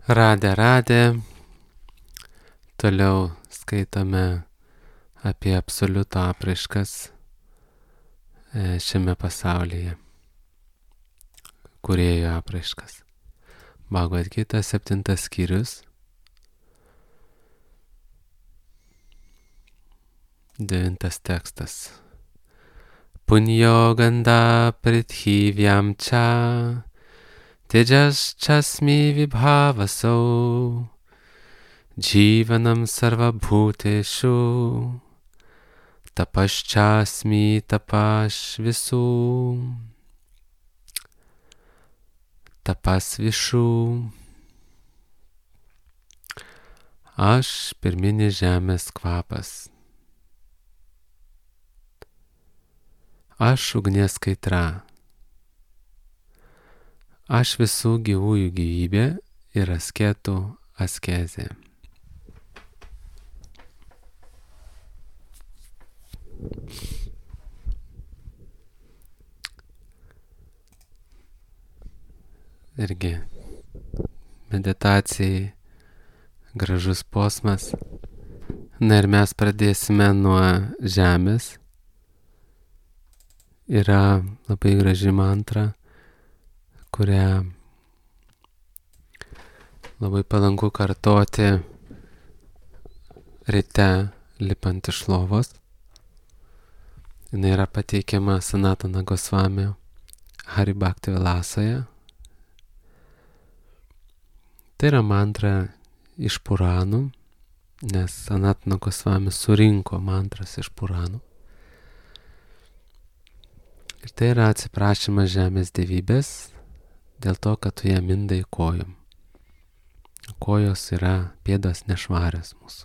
Radė. Toliau skaitome apie absoliuto apraiškas šiame pasaulyje. Kūrėjo apraiškas. Bhagavad Gita 7 skyrius. 9 tekstas. Punyo ganda prithivjam cha tejas chasmi vibhavasau jivanam sarvabhuteshu tapaschasmi tapasvisu tapasvišu. Aš pirminis žemės kvapas. Aš ugnies kaitra. Aš visų gyvųjų gyvybė ir asketų askezė. Irgi meditacijai gražus posmas. Na ir mes pradėsime nuo žemės. Yra labai graži mantra, kurią labai palanku kartoti ryte lipant iš lovos. Jis yra pateikiama Sanatana Gosvamio Hari Bhakti Vilasoje. Tai yra mantra iš Puranų, nes Sanatana Gosvami surinko mantras iš Puranų. Ir tai yra atsiprašymas žemės dievybės dėl to, kad tu ją mindai kojom. Kojos yra pėdos nešvarios mūsų.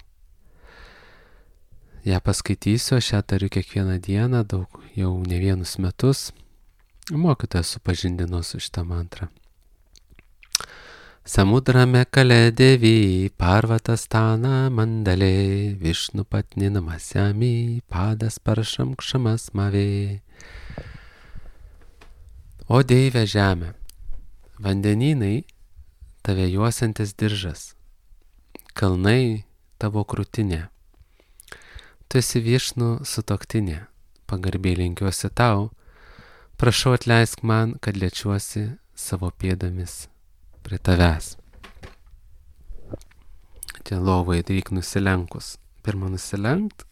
Ja paskaitysiu, aš ją tariu kiekvieną dieną, jau ne vienus metus. Mokytojas supažindino su šitą mantrą. Samudrame kale devi parvatastana mandale Višnu patni namasyami padas paršam kšamas mavė. O Deive žemė, vandenynai tave juosiantis diržas, kalnai tavo krūtinė. Tu esi Višnų sutuoktinė, pagarbiai lenkiuosi tau, prašau atleisk man, kad liečiuosi savo pėdomis prie tavęs. Čia lovai reik nusilenkus. Pirma nusilenkt,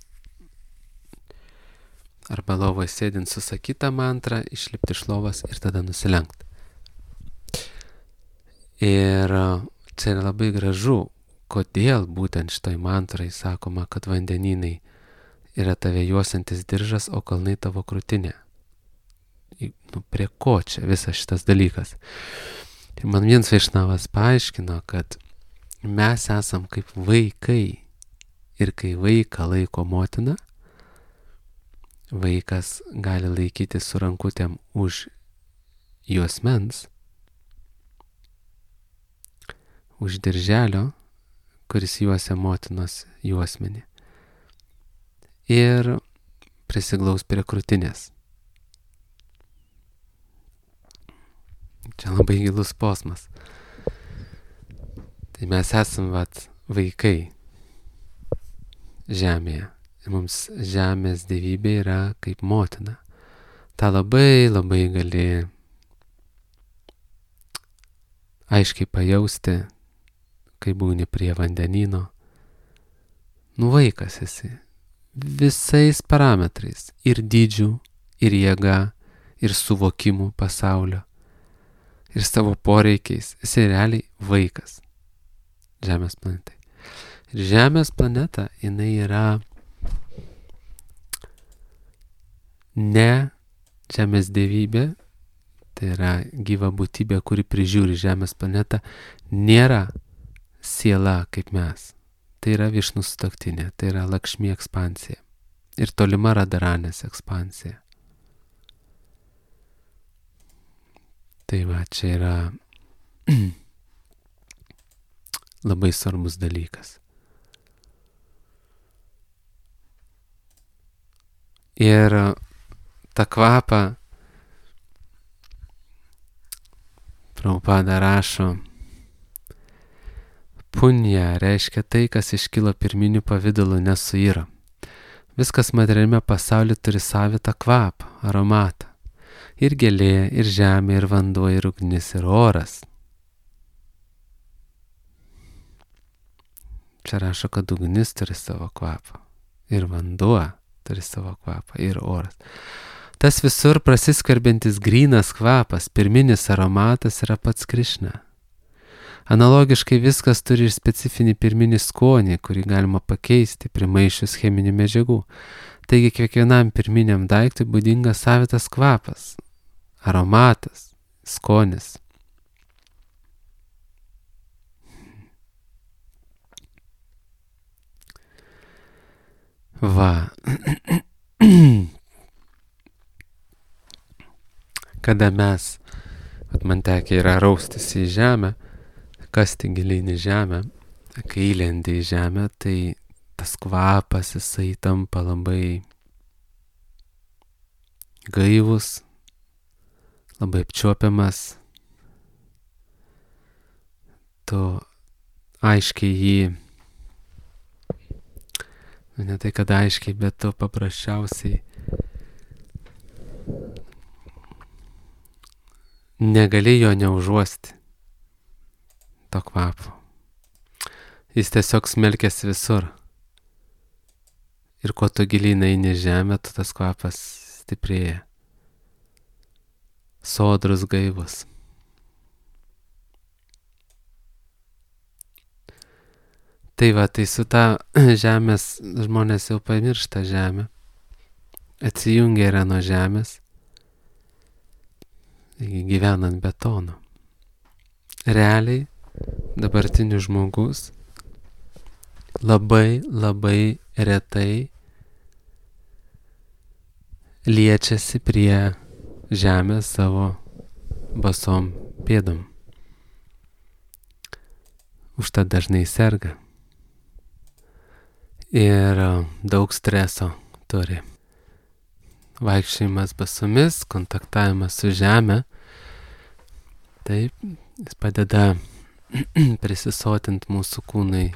arba lovoje sėdint susakytą mantrą, išlipti iš lovos ir tada nusilenkt. Ir čia yra labai gražu, kodėl būtent šitoj mantrai sakoma, kad vandenynai yra tave juosiantis diržas, o kalnai tavo krūtinė. Prie ko čia visas šitas dalykas? Ir man vienas Vaišnavas paaiškino, kad mes esam kaip vaikai. Ir kai vaiką laiko motina, vaikas gali laikyti su rankutėm už juosmens, už dirželio, kuris juosia motinos juosmenį. Ir prisiglaus prie krūtinės. Čia labai gilus posmas. Tai mes esam vaikai žemėje. Ir mums žemės dievybė yra kaip motina. Ta labai gali aiškiai pajausti, kai būni prie vandenyno. Vaikas esi. Visais parametrais. Ir dydžių, ir jėga, ir suvokimų pasaulio. Ir savo poreikiais. Esi realiai vaikas. Žemės planetai. Ir Žemės planeta, jinai yra ne žemės dievybė, tai yra gyva būtybė, kuri prižiūri Žemės planetą, nėra siela kaip mes. Tai yra Višnų sutuoktinė, tai yra Lakšmi ekspansija ir tolima Radharanės ekspansija. Tai va, čia yra labai svarbus dalykas. Ir tą kvapą Prabhupada rašo, Punja reiškia tai, kas iškilo pirminių pavydalų, nesuyra. Viskas materialiame pasaulyje turi savitą kvapą, aromatą. Ir gėlė, ir žemė, ir vanduo, ir ugnis, ir oras. Čia rašo, kad ugnis turi savo kvapą. Ir vanduo turi savo kvapą. Ir oras. Tas visur prasiskverbiantis grynas kvapas, pirminis aromatas yra pats Krišna. Analogiškai viskas turi ir specifinį pirminį skonį, kurį galima pakeisti primaišius cheminių medžiagų. Taigi kiekvienam pirminiam daiktui būdingas savitas kvapas, aromatas, skonis. Va. Kada mes, man tekia yra raustis į žemę, kasti giliai į žemę, kai įlendi į žemę, tai tas kvapas jisai tampa labai gaivus, labai apčiuopiamas. Tu aiškiai jį, ne tai kad aiškiai, bet tu paprasčiausiai negali jo neužuosti, to kvapo. Jis tiesiog smelkėsi visur. Ir kuo tu giliai eini į žemę, tu tas kvapas stiprėja. Sodrus, gaivus. Tai va, tai su ta žemės žmonės jau pamiršta žemę. Atsijungia yra nuo žemės. Gyvenant betonu. Realiai dabartinis žmogus labai retai liečiasi prie žemės savo basom pėdom. Užtat dažnai serga. Ir daug streso turi. Vaikščiojimas basomis, kontaktavimas su žemė, taip, jis padeda prisisotinti mūsų kūnai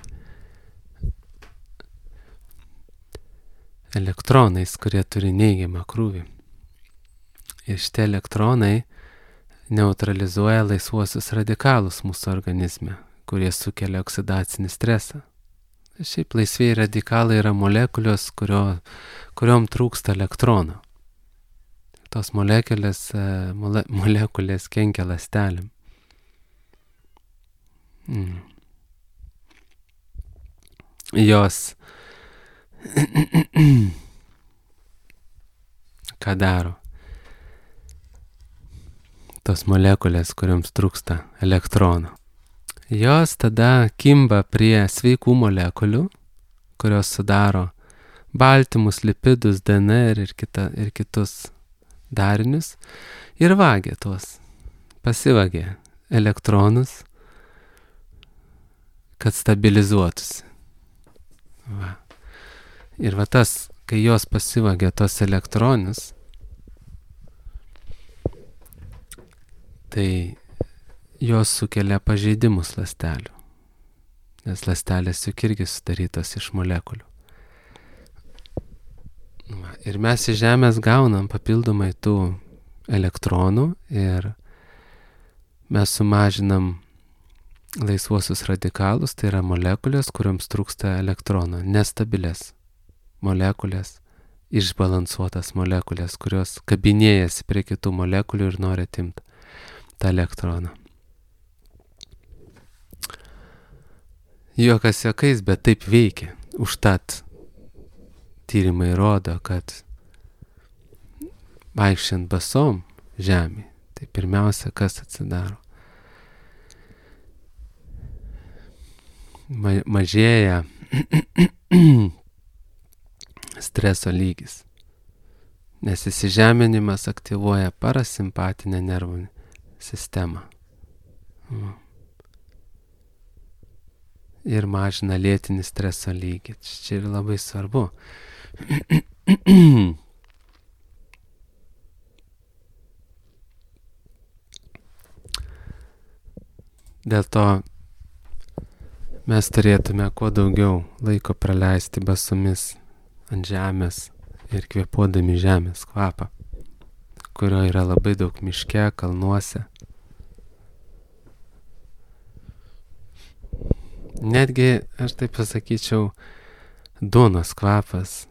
elektronais, kurie turi neigiamą krūvį. Ir šitie elektronai neutralizuoja laisvuosius radikalus mūsų organizme, kurie sukelia oksidacinį stresą. Šiaip laisvieji radikalai yra molekulės, kuriom trūksta elektrono. Tos molekulės kenkia ląstelėm. Jos ką daro? Tos molekulės, kuriams trūksta elektrono. Jos tada kimba prie sveikų molekulių, kurios sudaro baltymus, lipidus, DNR ir kitus darinius, ir vagia tuos, pasivagia elektronus, kad stabilizuotųsi. Va. Ir va tas, kai jos pasivagia tos elektronus, tai jos sukelia pažeidimus ląstelių, nes ląstelės juk irgi sudarytos iš molekulių. Ir mes iš žemės gaunam papildomai tų elektronų ir mes sumažinam laisvuosius radikalus, tai yra molekulės, kuriams trūksta elektrono, nestabilės molekulės, išbalansuotas molekulės, kurios kabinėjasi prie kitų molekulių ir nori atimti tą elektroną. Juokas juokais, bet taip veikia. Užtat tyrimai rodo, kad vaikščiant basom žemė, tai pirmiausia, kas atsidaro? Mažėja streso lygis, nes įsižeminimas aktyvuoja parasimpatinę nervų sistemą. Ir mažina lėtinį streso lygį. Čia yra labai svarbu. Dėl to mes turėtume kuo daugiau laiko praleisti basomis ant žemės ir kvėpuodami žemės kvapą, kurio yra labai daug miške, kalnuose. Netgi, aš taip pasakyčiau, duonos kvapas,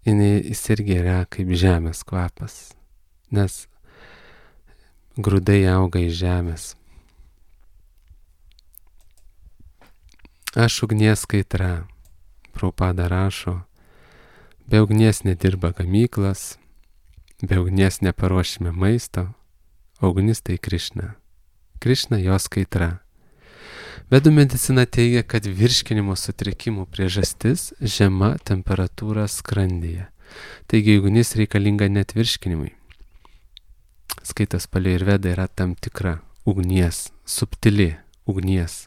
jis irgi yra kaip žemės kvapas, nes grūdai auga iš žemės. Aš ugnies kaitra, Prabhupada rašo, be ugnies nedirba gamyklas, be ugnies neparuošime maisto, o ugnis tai Krišna. Krišna jos kaitra. Vedų medicina teigia, kad virškinimo sutrikimų priežastis žema temperatūra skrandyje. Taigi ugnis reikalinga net virškinimui. Skaitas Palei ir Veda yra tam tikra ugnies, subtili ugnies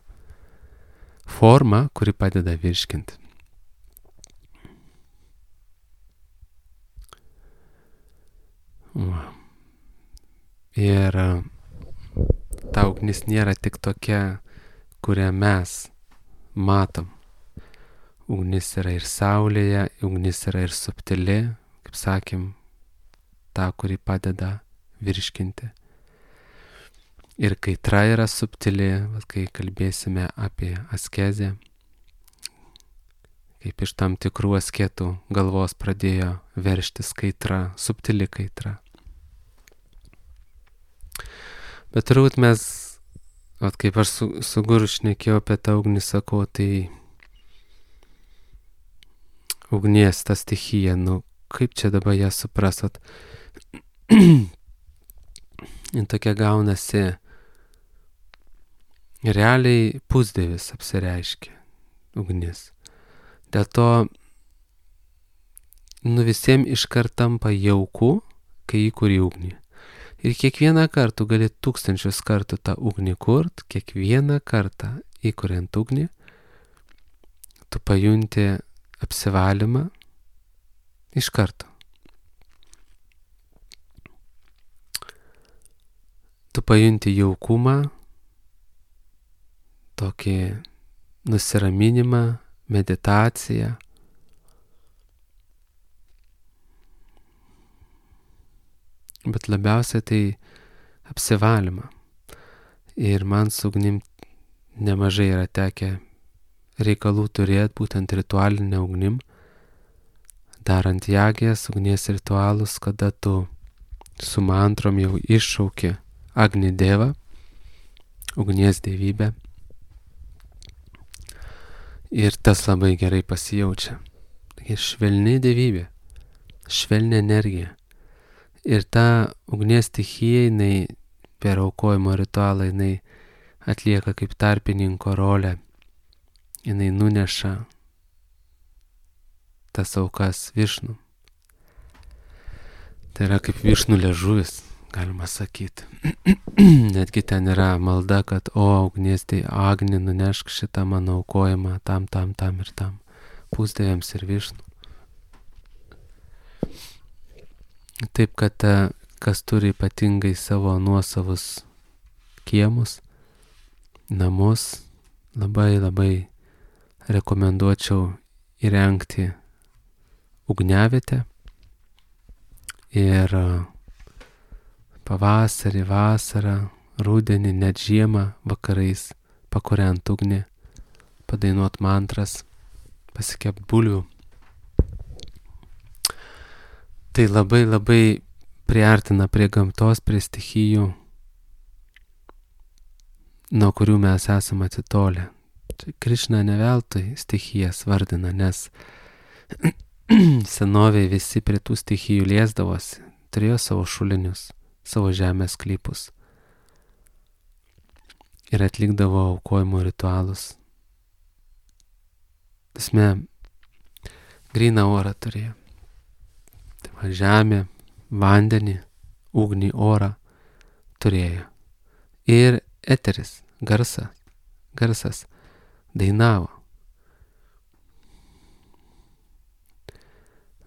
forma, kuri padeda virškinti. Ir ta ugnis nėra tik tokia, kurią mes matom. Ugnis yra ir saulėje, ugnis yra ir subtili, kaip sakėm, ta, kuri padeda virškinti. Ir kaitra yra subtili, kai kalbėsime apie askezę, kaip iš tam tikrų asketų galvos pradėjo verštis kaitra, subtili kaitra. Bet turbūt mes, kaip aš su Guru šnekėjau apie tą ugnį, sakau, tai ugnies ta stichija, kaip čia dabar ją suprasot? Ir tokia gaunasi, realiai pusdievis apsireiškia ugnis. Dėl to, visiems iškart tampa jauku, kai įkuri ugnį. Ir kiekvieną kartą gali 1000 kartų tą ugnį kurt, kiekvieną kartą įkuriant ugnį, tu pajunti apsivalymą iš karto. Tu pajunti jaukumą, tokį nusiraminimą, meditaciją. Bet labiausiai tai apsivalymą. Ir man su ugnim nemažai yra tekę reikalų turėti, būtent ritualinę ugnim, darant jagės, ugnies ritualus, kada tu su mantrom jau iššauki Agni Devą, ugnies dievybę. Ir tas labai gerai pasijaučia. Ir švelni dievybė, švelni energija. Ir ta ugnies stichija, jinai per aukojimo ritualą, jinai atlieka kaip tarpininko rolę. Jinai nuneša tas aukas Višnų. Tai yra kaip Višnų liežuvis, galima sakyti. Netgi ten yra malda, kad ugnies tai Agni, nunešk šitą mano aukojimą tam ir tam. Pusdieviams ir Višnų. Taip, kad kas turi ypatingai savo nuosavus kiemus, namus, labai rekomenduočiau įrengti ugniavietę ir pavasarį, vasarą, rudenį, net žiemą vakarais pakuriant ugnį, padainuot mantras, pasikept bulvių. Tai labai priartina prie gamtos, prie stichijų, nuo kurių mes esame atitolę. Krišna ne veltui stichijas vardina, nes senovėje visi prie tų stichijų liesdavosi, turėjo savo šulinius, savo žemės sklypus ir atlikdavo aukojimo ritualus. Tasme, gryną orą turėjo. Tai žemė, vandenį, ugnį, orą turėjo. Ir eteris, garsas dainavo.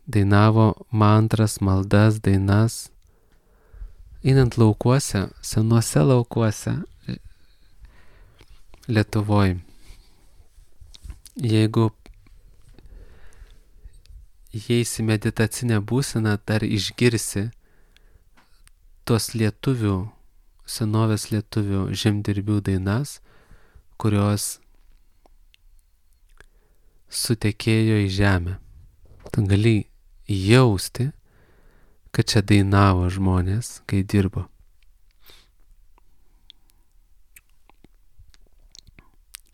Dainavo mantras, maldas, dainas. Einant laukuose, senuose laukuose Lietuvoj, Jeigu įeisi meditacinę būseną, dar išgirsi tos lietuvių, senovės lietuvių žemdirbių dainas, kurios sutekėjo į žemę. Tu gali jausti, kad čia dainavo žmonės, kai dirbo.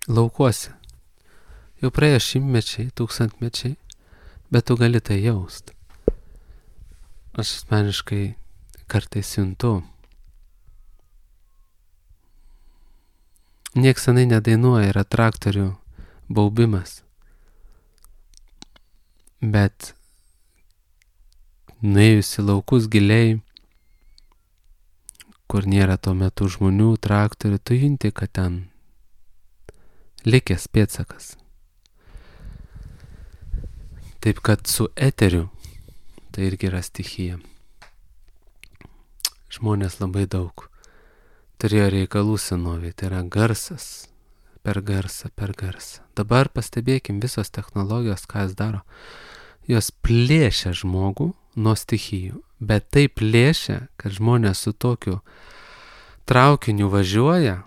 Laukuose. Jau praėjo šimtmečiai, tūkstantmečiai, bet tu gali tai jaust. Aš asmeniškai kartais juntu. Nieks senai nedainuoja, yra traktorių baubimas. Bet nuėjus į laukus giliai, kur nėra tuo metu žmonių, traktorių, tu junti, kad ten likęs pėdsakas. Taip kad su eteriu tai irgi yra stichija. Žmonės labai daug turėjo reikalų senovėje, tai yra garsas, per garsą. Dabar pastebėkim visos technologijos, ką jis daro. Jos plėšia žmogų nuo stichijų, bet taip plėšia, kad žmonės su tokiu traukiniu važiuoja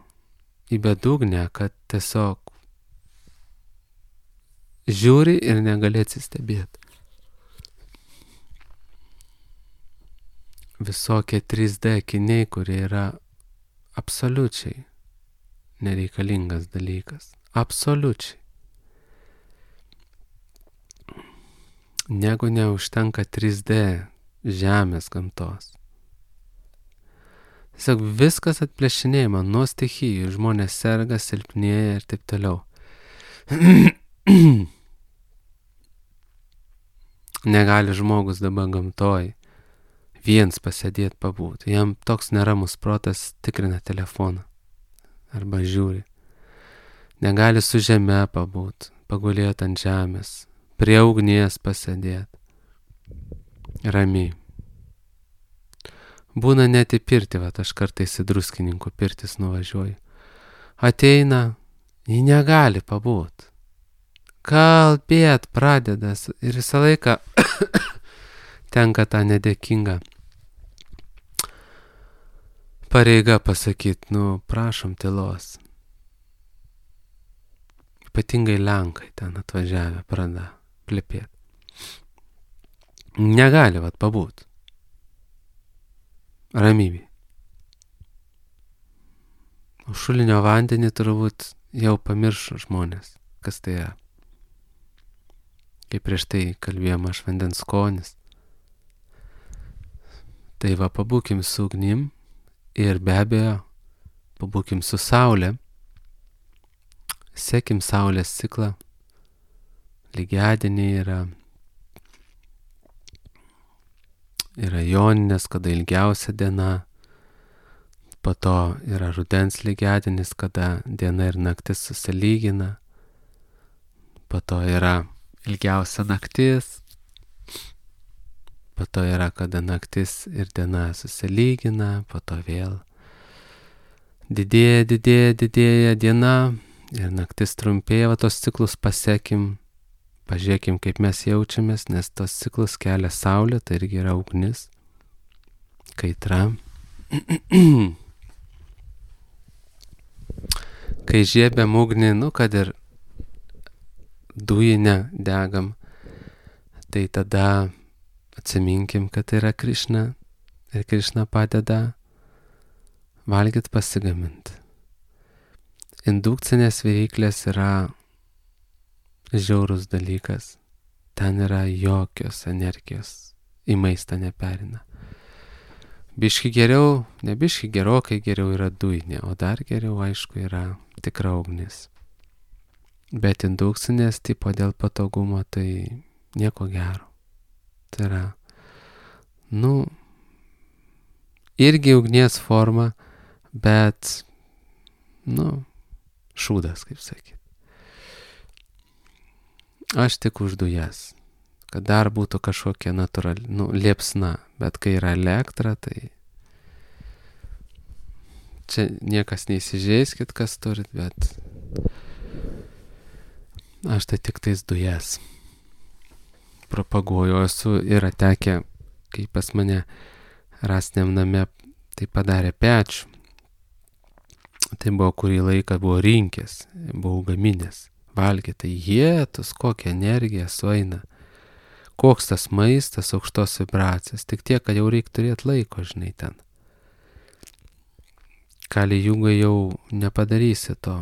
į bedugnę, kad tiesiog žiūri ir negali atsistebėti. Visokie 3D akiniai, kurie yra absoliučiai nereikalingas dalykas. Absoliučiai. Negu neužtenka 3D žemės gamtos. Tiesiog viskas atplėšinėjama nuo stichijų, žmonės serga, silpnėja ir taip toliau. Negali žmogus dabar gamtoj viens pasėdėti pabūti. Jam toks neramus protas tikrina telefoną arba žiūri. Negali su žeme pabūti, pagulėti ant žemės, prie ugnies pasėdėti. Ramiai. Būna net į pirtį, aš kartais į Druskininkų pirtis nuvažiuoju. Ateina, jį negali pabūti. Kalbėt pradedas ir visą laiką tenka tą nedėkingą pareiga pasakyti, prašom tylos. Ypatingai Lenkai ten atvažiavę pradeda plepėti. Negali pabūti. Ramybė. O šulinio vandenį turbūt jau pamiršo žmonės, kas tai yra. Kaip prieš tai kalbėjom, aš vandens skonis. Tai pabūkim su ugnim ir be abejo pabūkim su saulė. Sekim saulės ciklą. Lygiadieniai yra joninės, kada ilgiausia diena. Po to yra rudens lygiadienis, kada diena ir naktis susilygina. Po to yra ilgiausia naktis. Po to yra, kada naktis ir diena susilygina. Po to vėl didėja diena ir naktis trumpėja. Tos ciklus pasekim. Pažiūrėkim, kaip mes jaučiamės, nes tos ciklus kelia saulė, tai irgi yra ugnis, kaitra. Kai žiebiam ugnį, kad ir dujinę degam, tai tada atsiminkim, kad tai yra Krišna ir Krišna padeda valgyt pasigaminti. Indukcinės viryklės yra žiaurus dalykas. Ten yra jokios energijos, į maistą neperina. Biški geriau, ne biški gerokai geriau yra dujinė, o dar geriau, aišku, yra tikra ugnis. Bet indukcinės tipo dėl patogumo tai nieko gero. Tai yra, irgi ugnies forma, bet, šūdas, kaip sakyti. Aš tik už dujas, kad dar būtų kažkokia natūrali, liepsna, bet kai yra elektra, tai čia niekas neįsižeiskit, kas turit, bet Aš tai tik tais dujas propaguoju, esu yra tekę, kai pas mane rastiniam name tai padarė pečių. Tai buvo kurį laiką buvo rinkęs, buvau gaminęs, valgė, tai jėtus, kokia energija sueina, koks tas maistas, aukštos vibracijos, tik tiek, kad jau reikia turėti laiko, žinai, ten. Kali jūgai jau nepadarysi to,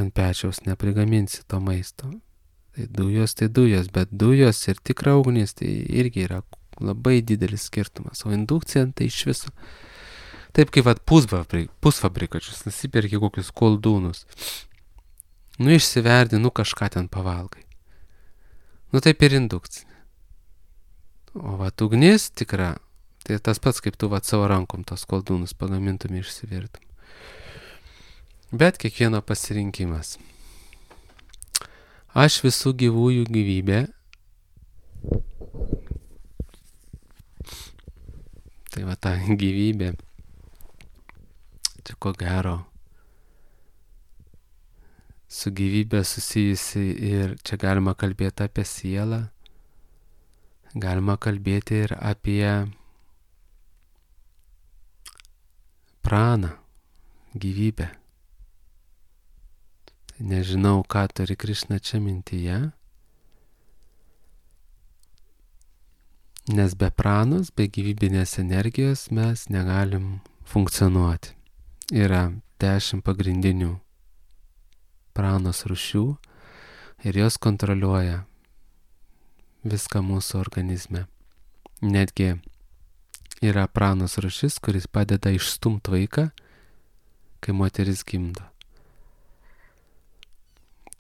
ant pečiaus neprigaminsi to maisto. Tai dujos, bet dujos ir tikra ugnis tai irgi yra labai didelis skirtumas, o indukcija tai iš viso. Taip kaip pusfabrikačius, nusipirki kokius koldūnus. Išsiverdi, kažką ten pavalgai. Taip ir indukcinė. O ugnis tikra, tai tas pats kaip tu savo rankom tos koldūnus pagamintum išsivirtum. Bet kiekvieno pasirinkimas. Aš visų gyvųjų gyvybė. Tai ta gyvybė. Čia ko gero su gyvybė susijusi ir čia galima kalbėti apie sielą, galima kalbėti ir apie praną, gyvybę. Nežinau, ką turi Krišna čia mintyje, nes be pranos, be gyvybinės energijos mes negalim funkcionuoti. Yra 10 pagrindinių pranos rūšių ir jos kontroliuoja viską mūsų organizme. Netgi yra pranos rūšis, kuris padeda išstumti vaiką, kai moteris gimdo.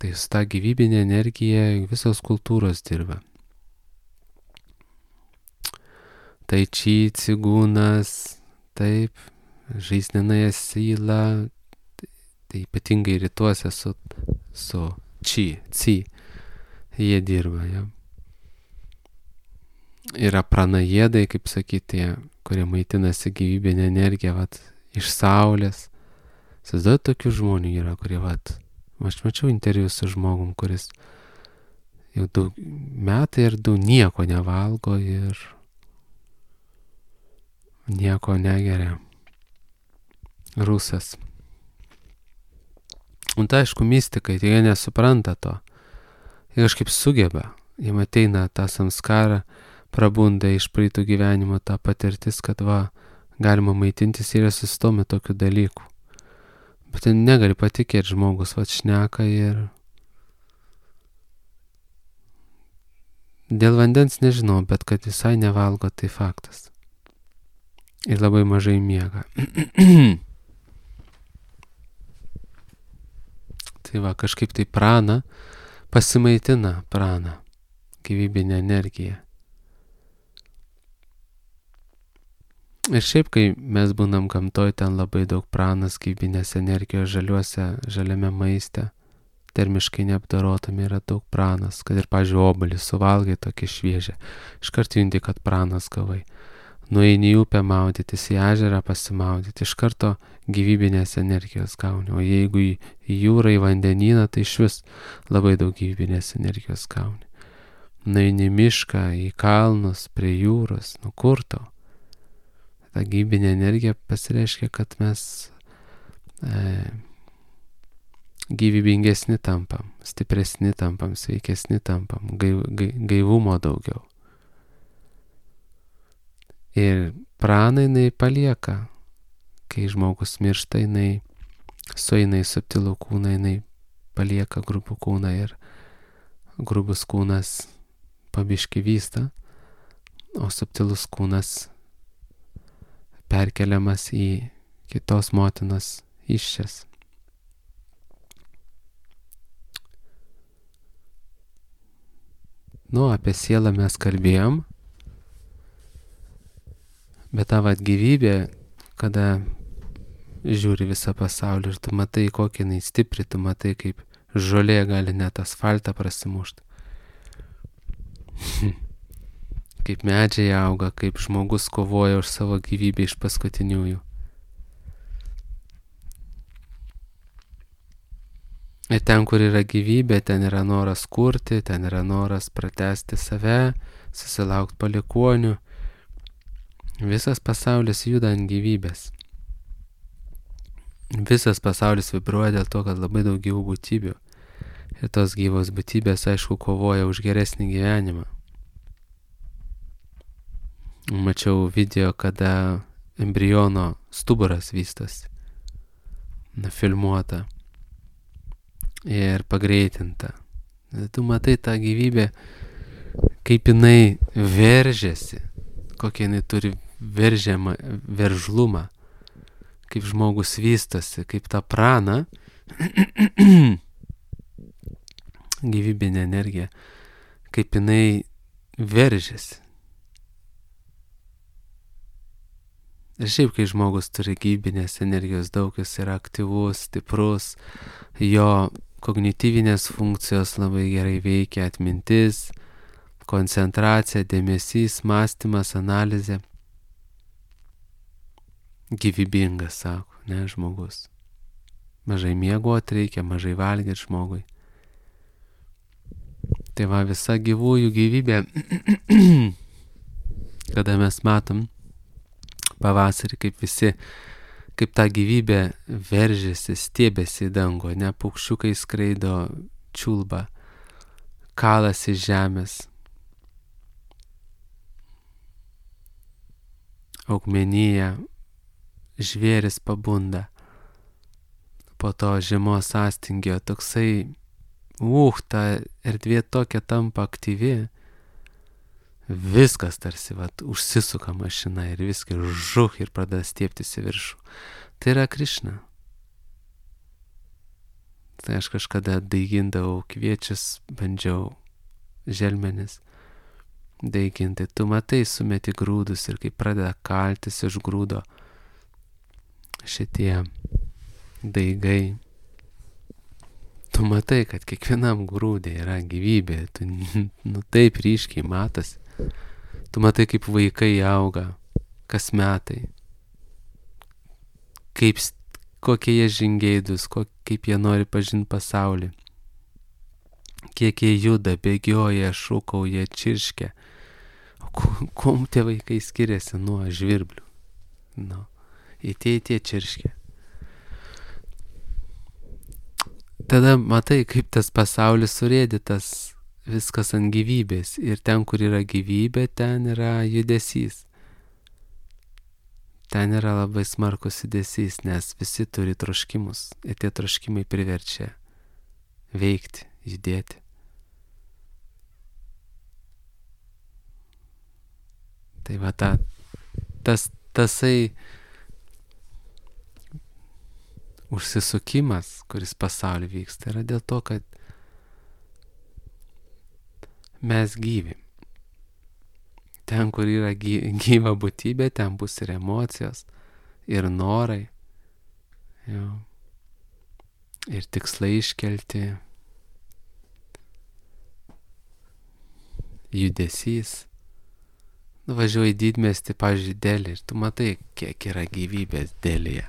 Tai su ta gyvybinė energija visos kultūros dirba. Tai či, cigūnas, taip, žaisninaja syla, tai ypatingai rytuose su či, jie dirba, ja. Yra pranajėdai, kaip sakyti, kurie maitinasi gyvybinę energiją, iš saulės. Įsivaizduojat, tokių žmonių yra, kurie, aš mačiau interviu su žmogum, kuris jau daug metai ir daug nieko nevalgo ir nieko negeria. Rusas. Tai aišku, mystikai, tai jie nesupranta to. Jie kažkaip sugeba. Jie ateina tą samskarą, prabunda iš praeitų gyvenimo tą patirtis, kad galima maitintis ir sustomi tokių dalykų. Bet negali patikėti žmogus, šneka ir dėl vandens nežinau, bet kad visai nevalgo, tai faktas. Ir labai mažai miega. Tai kažkaip tai prana, pasimaitina prana, gyvybinė energija. Ir šiaip, kai mes būnam gamtoj, ten labai daug pranas, gyvybinės energijos žaliame maiste, termiškai neapdorotame yra daug pranas, kad ir, pavyzdžiui, obuolį suvalgai tokį šviežią, iškart junti, kad pranas gavai. Nueini į upę maudytis, į ežerą pasimaudyti, iš karto gyvybinės energijos gauni, o jeigu į jūrą, į vandenyną, tai iš vis labai daug gyvybinės energijos gauni. Nueini į mišką, į kalnus, prie jūros, kur tau? Ta gyvybinė energija pasireiškia, kad mes gyvybingesni tampam, stipresni tampam, sveikesni tampam, gaivumo daugiau. Ir prana jinai palieka, kai žmogus miršta, jinai sueina į subtilų kūną, jinai palieka grubų kūną ir grubus kūnas pabiški vysta, o subtilus kūnas perkeliamas į kitos motinos įsčias. Apie sielą mes kalbėjom, bet ta gyvybė, kada žiūri visą pasaulį ir tu matai, kokia jinai stipri, tu matai, kaip žolė gali net asfaltą prasimušti. Kaip medžiai auga, kaip žmogus kovoja už savo gyvybę iš paskutiniųjų. Ir ten, kur yra gyvybė, ten yra noras kurti, ten yra noras pratesti save, susilaukti palikuonių. Visas pasaulis juda ant gyvybės. Visas pasaulis vibruoja dėl to, kad labai daug gyvų būtybių. Ir tos gyvos būtybės, aišku, kovoja už geresnį gyvenimą. Mačiau video, kada embriono stuburas vystosi. Filmuota. Ir pagreitinta. Tu matai tą gyvybę, kaip jinai veržiasi, kokia jinai turi veržlumą, kaip žmogus vystosi, kaip ta prana, gyvybinė energija, kaip jinai veržiasi. Ir šiaip, kai žmogus turi gyvybinės energijos daug, jis yra aktyvus, stiprus, jo kognityvinės funkcijos labai gerai veikia, atmintis, koncentracija, dėmesys, mąstymas, analizė. Gyvybingas, sako, ne, žmogus. Mažai miegoti reikia, mažai valgyti žmogui. Tai va, visa gyvųjų gyvybė, kada mes matom pavasarį, kaip ta gyvybė veržiasi, stiebėsi į dangų, ne, paukščiukai skraido, čiulba, kalasi žemės, augmenija, žvėris pabunda, po to žiemos sąstingio, toksai, ta erdvė tokia tampa aktyvi, viskas tarsi, užsisuka mašina ir viskas žuch ir pradeda stiebtis į viršų. Tai yra Krišna. Tai aš kažkada daigindavau kviečius, bandžiau želmenis daiginti. Tu matai, sumeti grūdus ir kai pradeda kaltis iš grūdo šitie daigai. Tu matai, kad kiekvienam grūdė yra gyvybė. Tu taip ryškiai matosi. Tu matai, kaip vaikai auga kas metai. Kokie jie žingeidus, kaip jie nori pažinti pasaulį. Kiek jie juda, bėgioja, šūkauja, čirškia. Kuom tie vaikai skiriasi nuo žvirblių? Į tie čirškia. Tada matai, kaip tas pasaulis surėdytas, viskas ant gyvybės. Ir ten, kur yra gyvybė, ten yra judesys. Ten yra labai smarkus judesys, nes visi turi troškimus. Ir tie troškimai priverčia veikti, judėti. Tai va tasai užsisukimas, kuris pasaulyje vyksta, yra dėl to, kad mes gyvi. Ten, kur yra gyva būtybė, ten bus ir emocijos, ir norai, ir tikslai iškelti, judesys. Nuvažiuoji didmiestį, pavyzdžiui, Delį, ir tu matai, kiek yra gyvybės Delyje.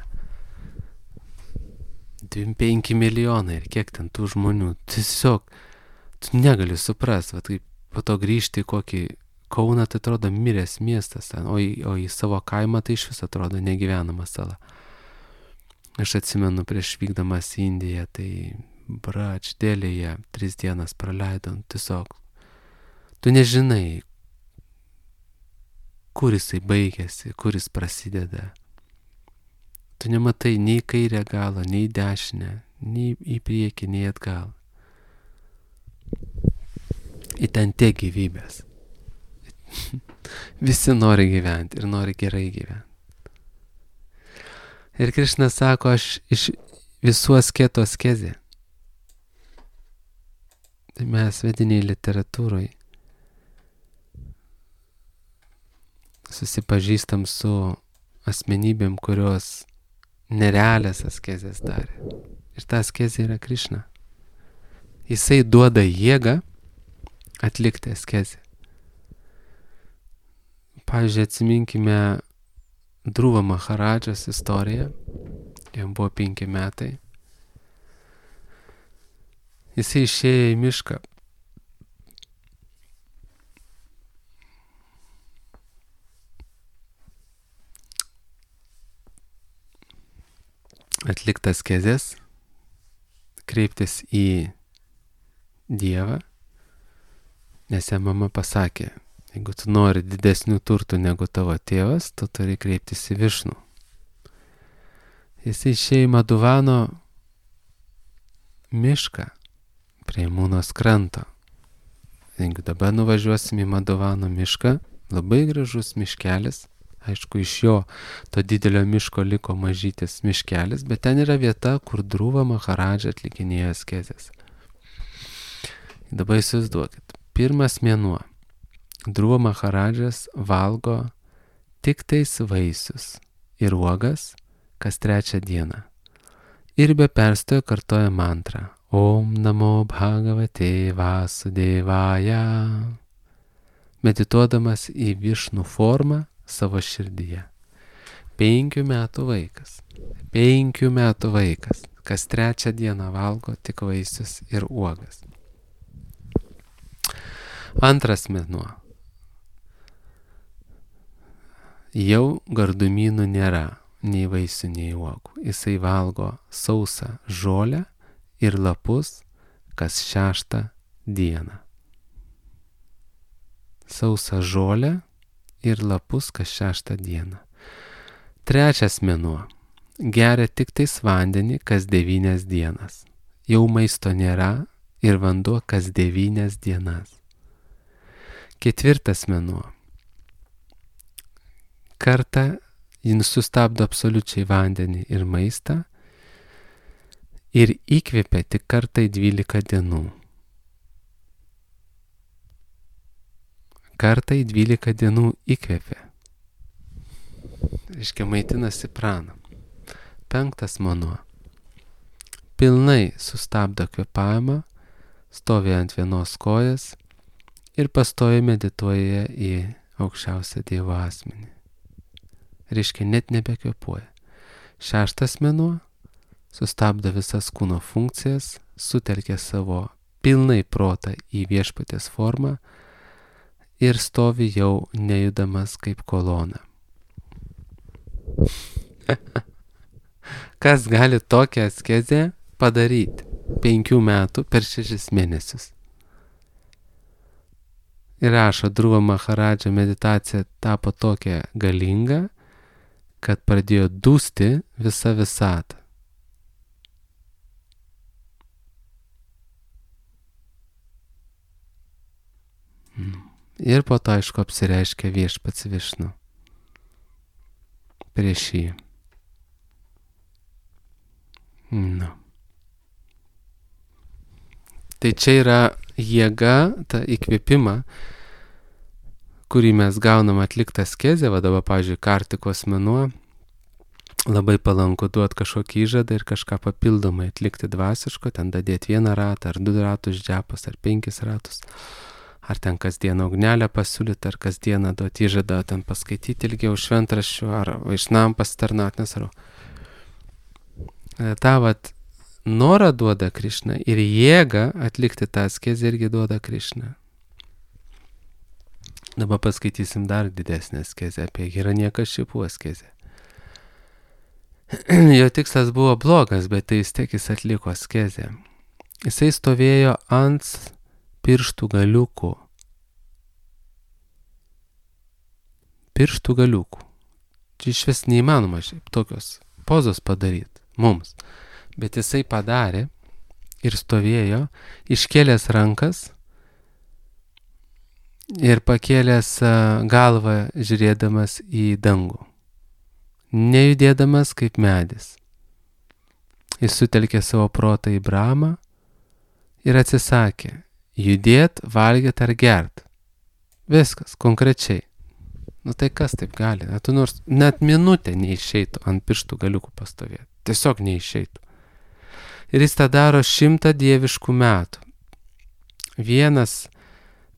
25 milijonai ir kiek ten tų žmonių. Tiesiog, tu negali suprast, kaip po to grįžti į kokį Kauną, tai atrodo miręs miestas, o į savo kaimą tai iš vis atrodo negyvenama sala. Aš atsimenu prieš vykdamas į Indiją, tai Delyje 3 dienas praleidom, tiesiog. Tu nežinai, kur jisai baigėsi, kur jis prasideda. Tu nematai nei kairę galą, nei dešinę, nei į priekį, nei atgal. Į ten tiek gyvybės. Visi nori gyventi ir nori gerai gyventi. Ir Krišna sako, aš iš visų asketų askezė. Tai mes vediniai literatūroje susipažįstam su asmenybėm, kurios nerealias askezės darė. Ir ta askezė yra Krišna. Jisai duoda jėgą atlikti askezę. Pavyzdžiui, atsiminkime Dhruva Maharadžos istoriją. Jam buvo 5 metai. Jisai išėjo į mišką. Atliktas kezės, kreiptis į Dievą, nes jam mama pasakė, jeigu tu nori didesnių turtų negu tavo tėvas, tu turi kreiptis į Višnų. Jis išėjo į Maduvano mišką prie Mūnos kranto. Jeigu dabar nuvažiuosim į Maduvano mišką, labai gražus miškelis, aišku, iš jo to didelio miško liko mažytis miškelis, bet ten yra vieta, kur Dhruva Maharadža atlikinėjo askezes. Dabar įsivaizduokit, pirmas mėnuo. Dhruva Maharadžas valgo tik tais vaisius ir uogas kas 3 dieną. Ir be perstojo kartoja mantrą Om Namo Bhagavate Vasudevaya, medituodamas į Višnų formą savo širdyje. 5 metų vaikas. 5 metų vaikas. Kas 3 dieną valgo tik vaisius ir uogas. Antras mėnuo. Jau gardumynų nėra, nei vaisių, nei uogų. Jisai valgo sausą žolę ir lapus kas 6 dieną. Sausą žolę ir lapus kas 6 dieną. 3 mėnuo. Geria tik tais vandenį kas 9 dienas. Jau maisto nėra ir vanduo kas 9 dienas. 4 mėnuo. Kartą jis sustabdo absoliučiai vandenį ir maistą ir įkvėpia tik kartą į 12 dienų. Kartą į 12 dienų įkvėpia. Reiškia, maitinasi praną. 5 mėnuo. Pilnai sustabdo kvėpavimą, stovi ant vienos kojas ir pastoviai medituoja į aukščiausią Dievo asmenį. Reiškia, net nebekvėpuoja. 6 mėnuo. Sustabdo visas kūno funkcijas, sutelkia savo pilnai protą į Viešpaties formą ir stovi jau nejudamas kaip kolona. Kas gali tokią askezę padaryti 5 metų per 6 mėnesius? Ir rašo, Dhruva Maharadža meditacija tapo tokia galinga, kad pradėjo dūsti visa visata. Ir po to, aišku, apsireiškia Viešpats Višnu prieš jį. Tai čia yra jėga, ta įkvėpima, kurį mes gaunam atliktą askezę, va dabar, pavyzdžiui, Kartikos mėnuo, labai palanku duoti kažkokį įžadą ir kažką papildomai atlikti dvasiško, ten dadėti 1 ratą, ar 2 ratus džepos, ar 5 ratus, ar ten kasdieną ugnelę pasiūlyti, ar kasdieną duoti įžadą, ten paskaityti ilgiau šventraščių, ar vaišnam pasitarnauti, nesvarbu. Ta vat norą duoda Krišna ir jėgą atlikti tą askezę irgi duoda Krišna. Dabar paskaitysim dar didesnę askezę apie Hiranyakšipų askezę. Jo tikslas buvo blogas, bet tai vis tiek jis atliko askezę. Jisai stovėjo ant pirštų galiukų. Pirštų galiukų. Čia iš vis neįmanoma šiaip tokios pozos padaryti mums. Bet jisai padarė ir stovėjo, iškėlęs rankas ir pakėlęs galvą žiūrėdamas į dangų. Nejudėdamas kaip medis. Jis sutelkė savo protą į Brahmą ir atsisakė judėt, valgyt ar gert. Viskas, konkrečiai. Nu tai kas taip gali? Tu nors net minutę neišeitų ant pirštų galiukų pastovėti. Tiesiog neišeitų. Ir jis tą daro 100 dieviškų metų. 1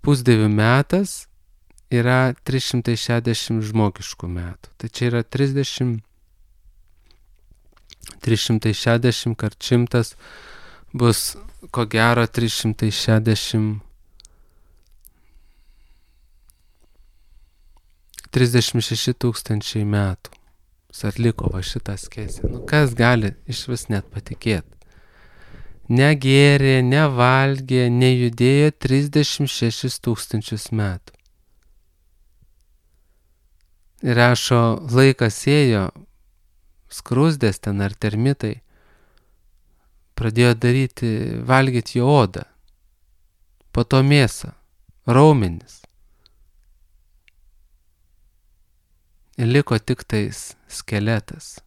pusdievių metas yra 360 žmogiškų metų. Tai čia yra 360 kart 100 bus ko gero 36 tūkstančiai metų atliko va šitą askezę. Nu kas gali iš vis net patikėti? Negėrė, nevalgė, nejudėjo 36 tūkstančius metų. Ir rašo, laikas ėjo, skrusdės ten ar termitai pradėjo valgyti jo odą, po to mėsą, raumenis. Ir liko tik tais skeletas.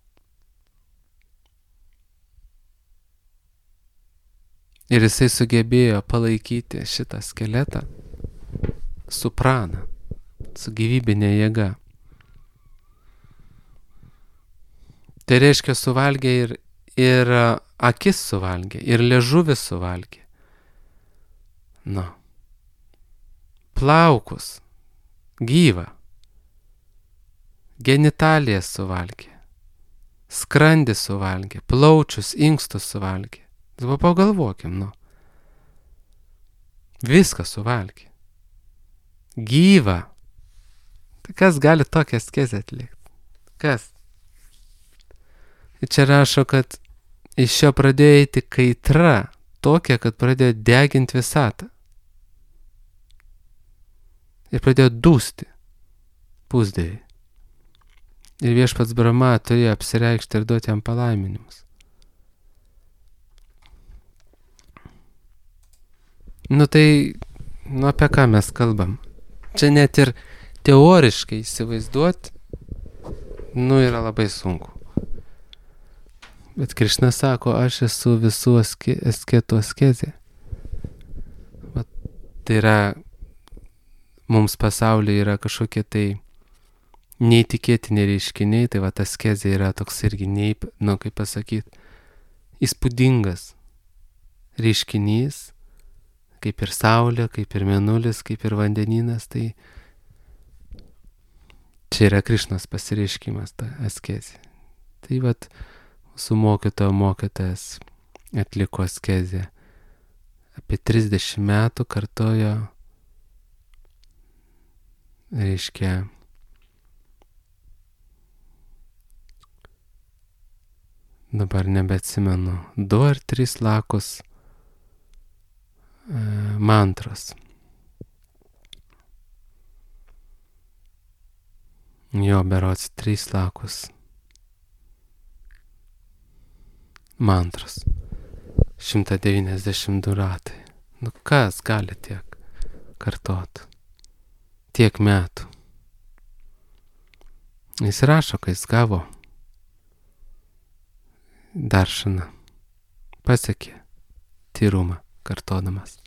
Ir jisai sugebėjo palaikyti šitą skeletą su prana, su gyvybinė jėga. Tai reiškia suvalgė ir akis suvalgė, ir liežuvis suvalgė. Nu. Plaukus, gyvą. Genitalijas suvalgė, skrandį suvalgė, plaučius, inkstus suvalgė. Dabar pagalvokim, nu. Viską suvalgė. Gyva. Tai kas gali tokią askezę atlikti? Kas? Ir čia rašo, kad iš jo pradėjo eiti kaitra tokia, kad pradėjo deginti visatą. Ir pradėjo dūsti pusdėviai. Ir viešpats Brahma turėjo apsireikšti ir duoti jam palaiminimus. Nu tai, apie ką mes kalbam? Čia net ir teoriškai įsivaizduoti, yra labai sunku. Bet Krišna sako, aš esu visų asketų askezė. Tai yra, mums pasaulyje yra kažkokie tai neįtikėtini reiškiniai, tai askezė yra toks irgi, kaip pasakyti, įspūdingas reiškinys, kaip ir saulė, kaip ir mėnulis, kaip ir vandenynas, tai čia yra Krišnos pasireiškimas, ta askezė. Tai mūsų mokytojas atliko askezę. Apie 30 metų kartojo, reiškia, dabar nebeatsimenu, 2 ar 3 lakus mantros. Jo, berods 3 lakus mantros. 192 ratai. Nu kas gali tiek kartot? Tiek metų. Jis rašo, kai jis gavo daršaną. Pasiekė tyrumą kartodamas.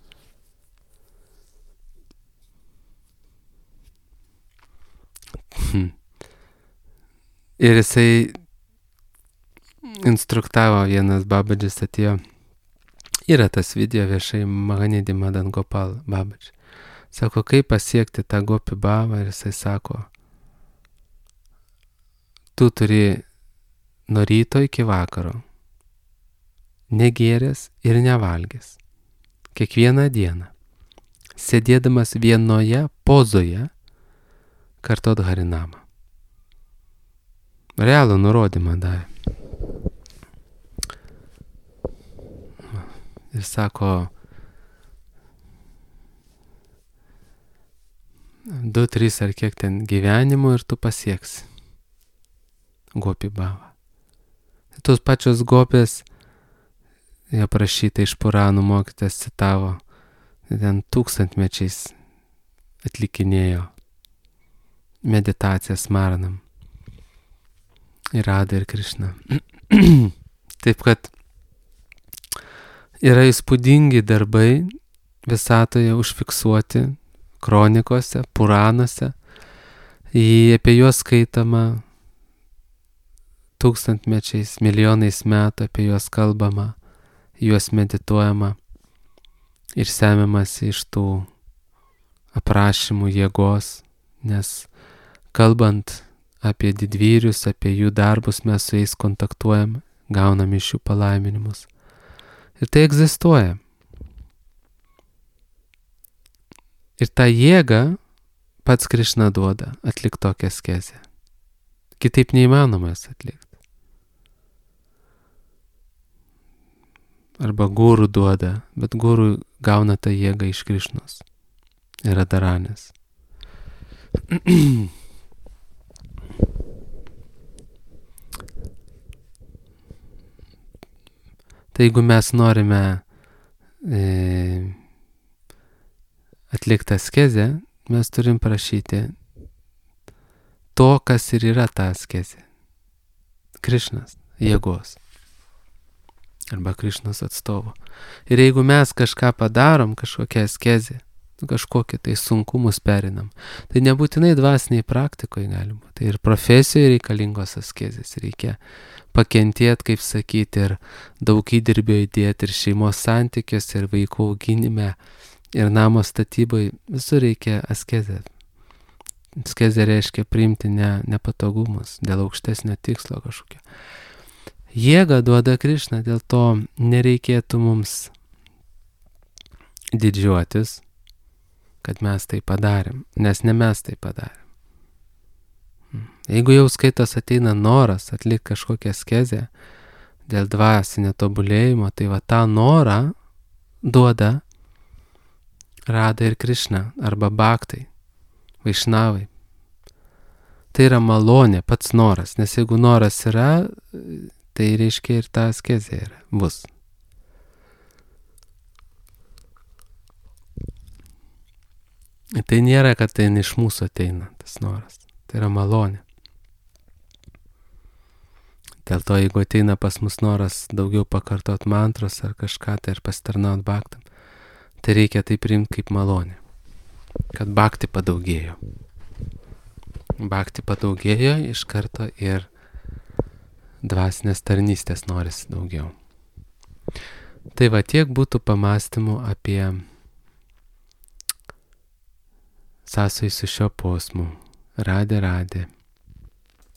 Ir jisai instruktavo, vienas Babadžis atėjo. Yra tas video viešai, Mahanidhi Madan Gopal Babadži. Sako, kaip pasiekti tą gopi bhavą, ir jisai sako, tu turi nuo ryto iki vakaro negėręs ir nevalgęs. Kiekvieną dieną, sėdėdamas vienoje pozoje, kartot harinamą. Realų nurodymą davė. Ir sako, 2-3 ar kiek ten gyvenimų ir tu pasieksi gopi bhavą. Tos pačios gopės, jie prašyta iš Puranų mokytas citavo, ten tūkstantmečiais atlikinėjo meditacijas Maranam. Ir Radha ir Krišna. Taip kad yra įspūdingi darbai visatoje užfiksuoti kronikose, Puranuose. Apie juos skaitama tūkstantmečiais, milijonais metų, apie juos kalbama, juos medituojama ir semiamasi iš tų aprašymų jėgos, nes kalbant apie didvyrius, apie jų darbus, mes su jais kontaktuojam, gaunam iš jų palaiminimus. Ir tai egzistuoja. Ir tą jėgą pats Krišna duoda atlikti tokią askezę. Kitaip neįmanoma jas atlikti. Arba guru duoda, bet guru gauna tą jėgą iš Krišnos. Yra Dharanės. Tai jeigu mes norime atlikti askezę, mes turim prašyti to, kas ir yra ta askezė. Krišnas, jėgos. Arba Krišnos atstovo. Ir jeigu mes kažką padarom, kažkokią askezę, kažkokį tai sunkumus perinam, tai nebūtinai dvasiniai praktikoje galima. Tai ir profesijoje reikalingos askezės. Reikia pakentėti, kaip sakyti, ir daug įdirbio įdėti, ir šeimos santykiuose, ir vaikų auginime, ir namo statyboje. Visur reikia askezę. Askezė reiškia priimti nepatogumus dėl aukštesnio tikslo kažkokio. Jėga duoda Krišna, dėl to nereikėtų mums didžiuotis, kad mes tai padarėm, nes ne mes tai padarėm. Jeigu jau skaitos ateina noras atlikti kažkokią askezę dėl dvasinio tobulėjimo, tai va tą norą duoda Rada ir Krišna arba Bhaktai, Vaišnavai. Tai yra malonė, pats noras, nes jeigu noras yra, tai reiškia ir ta askezė yra, bus. Tai nėra, kad tai iš mūsų ateina tas noras, tai yra malonė. Dėl to, jeigu ateina pas mus noras daugiau pakartot mantros ar kažką, tai ir pasitarnaut bhaktam, tai reikia tai priimti kaip malonė, kad bhakti padaugėjo. Bhakti padaugėjo iš karto ir dvasinės tarnystės norisi daugiau. Tai va tiek būtų pamastymų apie sąsajį su šio posmu. Radė.